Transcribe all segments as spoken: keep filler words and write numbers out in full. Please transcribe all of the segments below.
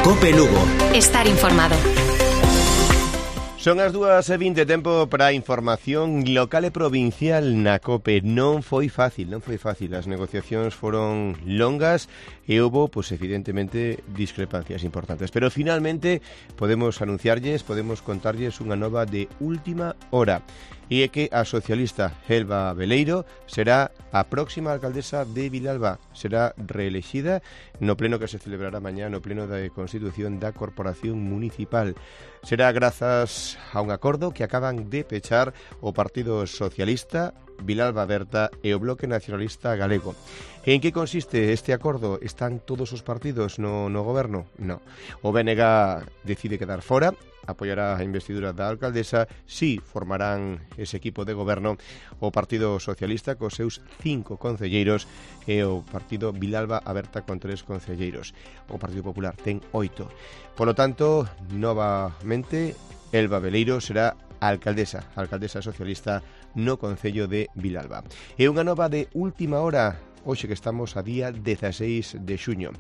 COPE Lugo. Estar informado. Son as dúas e vinte, tempo para a información local e provincial na COPE. Non foi fácil, non foi fácil. As negociacións foron longas e houve, pois, evidentemente, discrepancias importantes. Pero finalmente podemos anunciarlles, podemos contarlles unha nova de última hora. E é que a socialista Elba Beleiro será a próxima alcaldesa de Vilalba. Será reelexida no pleno que se celebrará mañá no pleno de Constitución da Corporación Municipal. Será grazas a un acordo que acaban de pechar o Partido Socialista, Vilalba Aberta e o Bloque Nacionalista Galego. En que consiste este acordo? Están todos os partidos no, no goberno? No. O B N G decide quedar fora, apoiará a investidura da alcaldesa, si formarán ese equipo de goberno o Partido Socialista cos seus cinco concelleiros e o Partido Vilalba Aberta con tres concelleiros. O Partido Popular ten oito. Por lo tanto, novamente, Elba Beleiro será alcaldesa, alcaldesa socialista no Concello de Vilalba. E unha nova de última hora, hoxe que estamos a día dezaseis de xuño.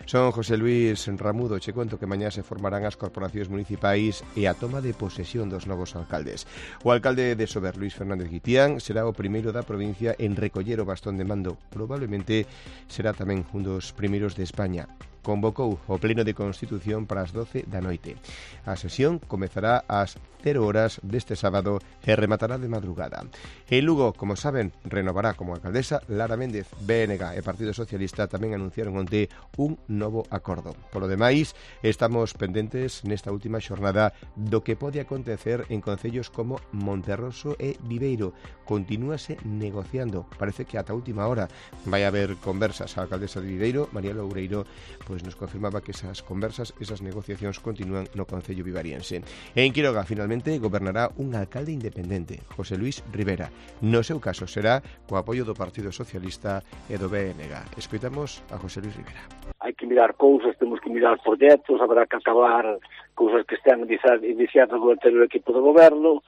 Son José Luis Ramudo, che conto que mañá se formarán as corporacións municipais e a toma de posesión dos novos alcaldes. O alcalde de Sober, Luis Fernández Guitián, será o primeiro da provincia en recoller o bastón de mando. Probablemente será tamén un dos primeiros de España. Convocou o pleno de Constitución para as doce da noite. A sesión comezará ás cero horas deste sábado e rematará de madrugada. En Lugo, como saben, renovará como alcaldesa Lara Méndez. B N G e Partido Socialista tamén anunciaron onte un novo acordo. Polo demais, estamos pendentes nesta última xornada do que pode acontecer en concellos como Monterroso e Viveiro. Continúase negociando. Parece que ata última hora vai haber conversas. A alcaldesa de Viveiro, María Loureiro, pois nos confirmaba que esas conversas, esas negociacións continúan no concello vivariense. En Quiroga, finalmente, gobernará un alcalde independente, José Luis Rivera. No seu caso será co apoio do Partido Socialista e do B N G. Escoitamos a José Luis Rivera. Hai que mirar cousas, temos que mirar proxectos, habrá que acabar cousas que están iniciadas do anterior equipo de goberno.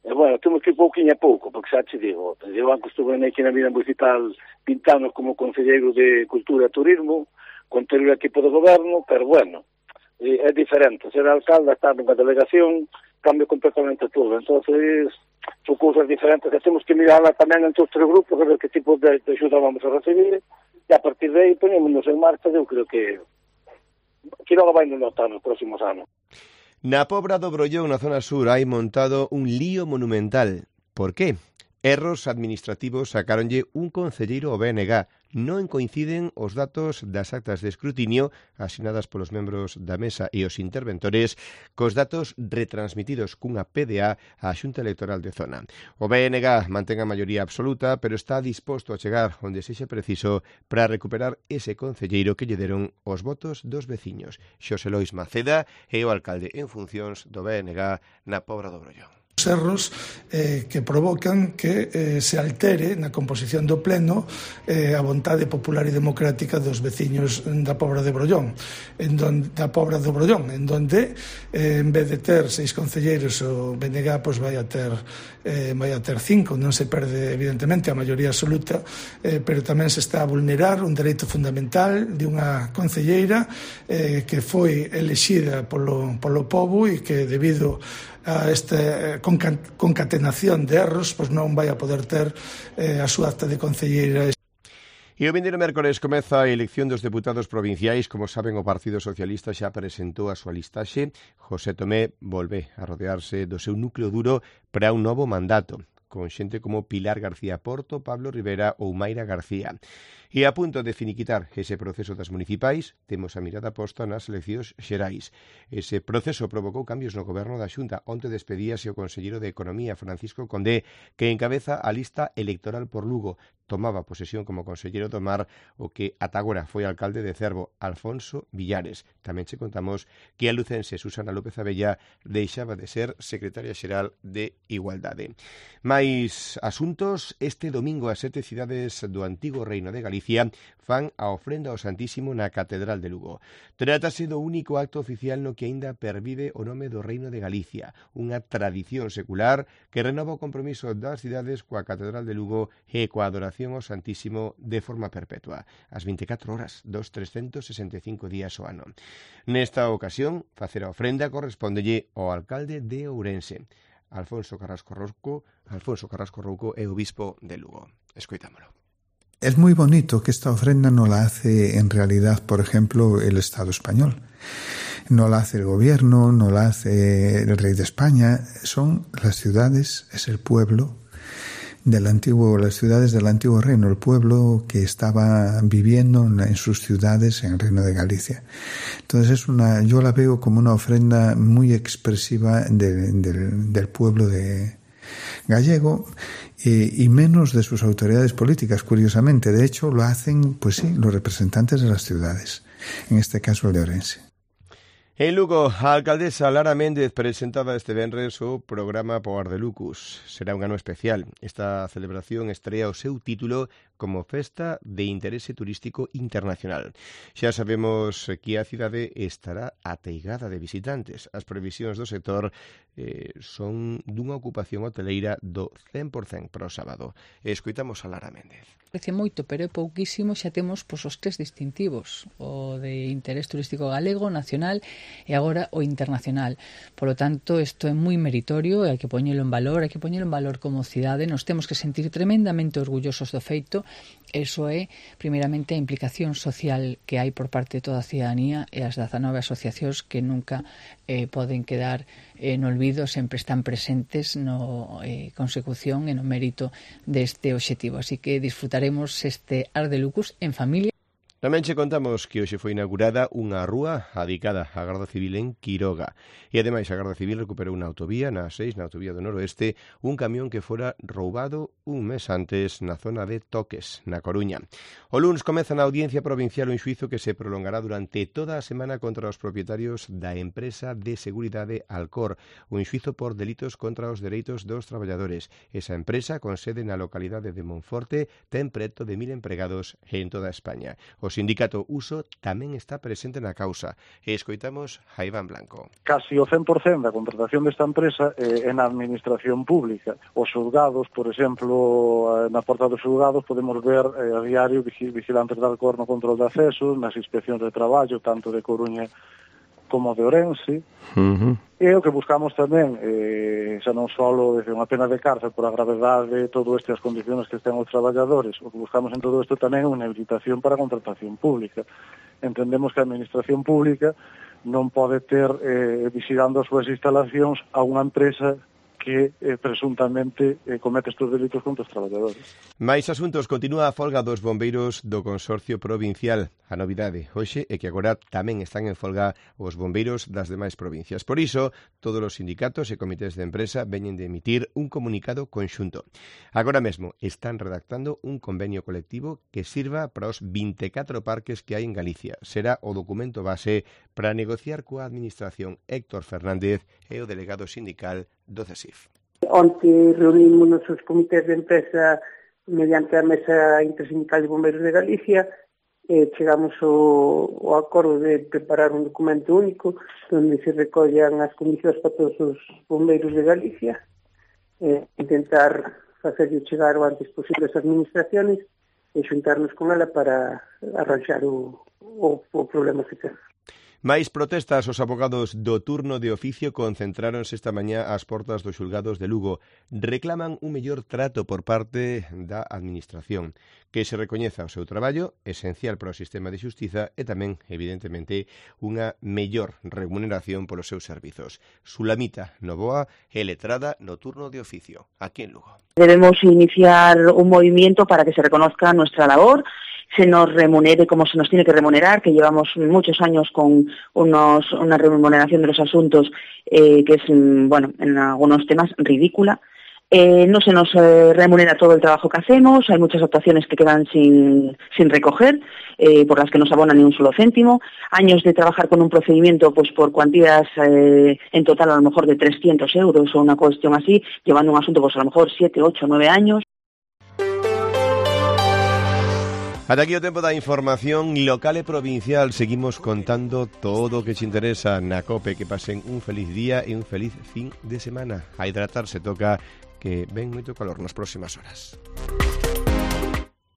E, bueno, temos que ir pouquinho a pouco, porque xa te digo, eu antes estuve aquí na vida municipal pintando como concelleiro de Cultura e Turismo, con o equipo de goberno, pero bueno, é diferente. Ser alcalde, estar nunha delegación, cambia completamente todo. Entonces, son cousas diferentes que temos que mirarla tamén entre os tres grupos, a ver que tipo de, de axuda vamos a recibir, e a partir de aí ponémonos en marcha. Eu creo que que non vai nos notar nos próximos anos. Na Pobra do Brollón, na zona sur, hai montado un lío monumental. Por qué? Erros administrativos sacáronlle un concelleiro ao B N G. Non coinciden os datos das actas de escrutinio asinadas polos membros da mesa e os interventores cos datos retransmitidos cunha P D A á Xunta Electoral de Zona. O B N G mantén a maioría absoluta, pero está disposto a chegar onde sexa preciso para recuperar ese concelleiro que lle deron os votos dos veciños. Xosé Lois Maceda é o alcalde en funcións do B N G na Pobra do Brollón. Erros eh, que provocan que eh, se altere na composición do pleno eh, a vontade popular e democrática dos veciños da Pobra de Brollón, en donde, da Pobra do Brollón, en donde eh, en vez de ter seis concelleiros, o B N G pois vai a ter eh, vai a ter cinco. Non se perde evidentemente a maioría absoluta, eh, pero tamén se está a vulnerar un dereito fundamental de unha concelleira eh, que foi elexida polo, polo pobo e que debido a esta concatenación de erros, pois non vai a poder ter eh, a súa acta de concelleira. E o vindeiro mércores comeza a elección dos deputados provinciais. Como saben, o Partido Socialista xa presentou a súa listaxe. José Tomé volve a rodearse do seu núcleo duro para un novo mandato, con xente como Pilar García Porto, Pablo Rivera ou Mayra García. E a punto de finiquitar ese proceso das municipais, temos a mirada posta nas eleccións xerais. Ese proceso provocou cambios no goberno da Xunta. Onte despedíase o conselleiro de Economía, Francisco Condé, que encabeza a lista electoral por Lugo. Tomaba posesión como conselleiro do Mar o que ata agora foi alcalde de Cervo, Alfonso Villares. Tamén che contamos que a lucense Susana López Abella deixaba de ser secretaria xeral de Igualdade. Mais asuntos, este domingo as sete cidades do antigo Reino de Galicia fan a ofrenda ao Santísimo na Catedral de Lugo. Trátase do único acto oficial no que aínda pervive o nome do Reino de Galicia, unha tradición secular que renova o compromiso das cidades coa Catedral de Lugo e coa adoración veneración ao Santísimo de forma perpetua, as vinte e catro horas dos trescentos sesenta e cinco días ao ano. Nesta ocasión, facer a ofrenda correspondelle ao alcalde de Ourense, Alfonso Carrasco Rouco, Alfonso Carrasco Rouco é o bispo de Lugo. Escoitámolo. Es muy bonito que esta ofrenda no la hace en realidad, por ejemplo, el Estado español. No la hace el gobierno, no la hace el rey de España. Son las ciudades, es el pueblo del antiguo, las ciudades del antiguo reino, el pueblo que estaba viviendo en sus ciudades en el Reino de Galicia. Entonces es una, yo la veo como una ofrenda muy expresiva de, de, del pueblo de gallego eh, y menos de sus autoridades políticas, curiosamente. De hecho, lo hacen, pues sí, los representantes de las ciudades, en este caso el de Ourense. En Lugo, a alcaldesa Lara Méndez presentaba este venres o programa Poar de Lucus. Será un ano especial. Esta celebración estrea o seu título como Festa de Interese Turístico Internacional. Xa sabemos que a cidade estará ateigada de visitantes. As previsións do sector eh, son dunha ocupación hoteleira do cen por cento para o sábado. Escoitamos a Lara Méndez. Parece moito, pero é pouquísimo, xa temos pois, os tres distintivos, o de interés turístico galego, nacional e agora o internacional. Por lo tanto, isto é moi meritorio, hai que poñelo en valor, hai que poñelo en valor como cidade, nos temos que sentir tremendamente orgullosos do feito. Eso é, primeiramente, a implicación social que hai por parte de toda a cidadanía e as dezanove asociacións que nunca eh, poden quedar eh, no olvido, sempre están presentes no eh, consecución e no mérito deste obxectivo. Así que disfrutaremos este Ar de Lucus en familia. Tamén che contamos que hoxe foi inaugurada unha rúa dedicada á Garda Civil en Quiroga. E ademais a Garda Civil recuperou na autovía, na A seis, na autovía do noroeste, un camión que fora roubado un mes antes na zona de Toques, na Coruña. O luns comeza na Audiencia Provincial un xuizo que se prolongará durante toda a semana contra os propietarios da empresa de seguridade Alcor, un xuizo por delitos contra os dereitos dos traballadores. Esa empresa, con sede na localidade de Monforte, ten preto de mil empregados en toda España. O sindicato Uso tamén está presente na causa. E escoitamos a Iván Blanco. Casi o cen por cento da contratación desta empresa é eh, na administración pública. Os xulgados, por exemplo, na porta dos xulgados podemos ver eh, a diario vigilantes da Alcor no control de accesos, nas inspeccións de traballo, tanto de Coruña como de Ourense. Uh-huh. E o que buscamos tamén, eh, xa non só desde unha pena de cárcel por a gravedade de todo este as condiciones que estén os traballadores, o que buscamos en todo isto tamén é unha habilitación para a contratación pública. Entendemos que a administración pública non pode ter eh, vigilando as súas instalacións a unha empresa que eh, presuntamente eh, comete estes delitos contra os traballadores. Mais asuntos, continúa a folga dos bombeiros do Consorcio Provincial. A novidade hoxe é que agora tamén están en folga os bombeiros das demais provincias. Por iso, todos os sindicatos e comités de empresa veñen de emitir un comunicado conxunto. Agora mesmo están redactando un convenio colectivo que sirva para os vinte e catro parques que hai en Galicia. Será o documento base para negociar coa administración. Héctor Fernández é o delegado sindical do C E S I F. Onte reunimos os comités de empresa mediante a Mesa Intersindical de Bombeiros de Galicia e chegamos ao, ao acordo de preparar un documento único onde se recollan as condicións para todos os bombeiros de Galicia e intentar facerlle chegar o antes posible as administraciones e xuntarnos con ela para arranxar o, o, o problema que temos. Mais protestas, os abogados do turno de oficio concentráronse esta mañá ás portas dos xulgados de Lugo. Reclaman un mellor trato por parte da administración, que se recoñeza o seu traballo, esencial para o sistema de xustiza, e tamén, evidentemente, unha mellor remuneración polos seus servizos. Sulamita Novoa é letrada no turno de oficio, aquí en Lugo. Debemos iniciar un movimiento para que se reconozca nuestra labor, se nos remunere como se nos tiene que remunerar, que llevamos muchos años con unos, una remuneración de los asuntos eh, que es, bueno, en algunos temas ridícula. Eh, no se nos eh, remunera todo el trabajo que hacemos, hay muchas actuaciones que quedan sin, sin recoger, eh, por las que no se abonan ni un solo céntimo, años de trabajar con un procedimiento pues por cuantías eh, en total a lo mejor de trescientos euros o una cuestión así, llevando un asunto pues a lo mejor siete, ocho, nueve años. Ata aquí o tempo da información local e provincial. Seguimos contando todo o que te interesa na COPE. Que pasen un feliz día e un feliz fin de semana. A hidratarse, toca que ven moito calor nas próximas horas.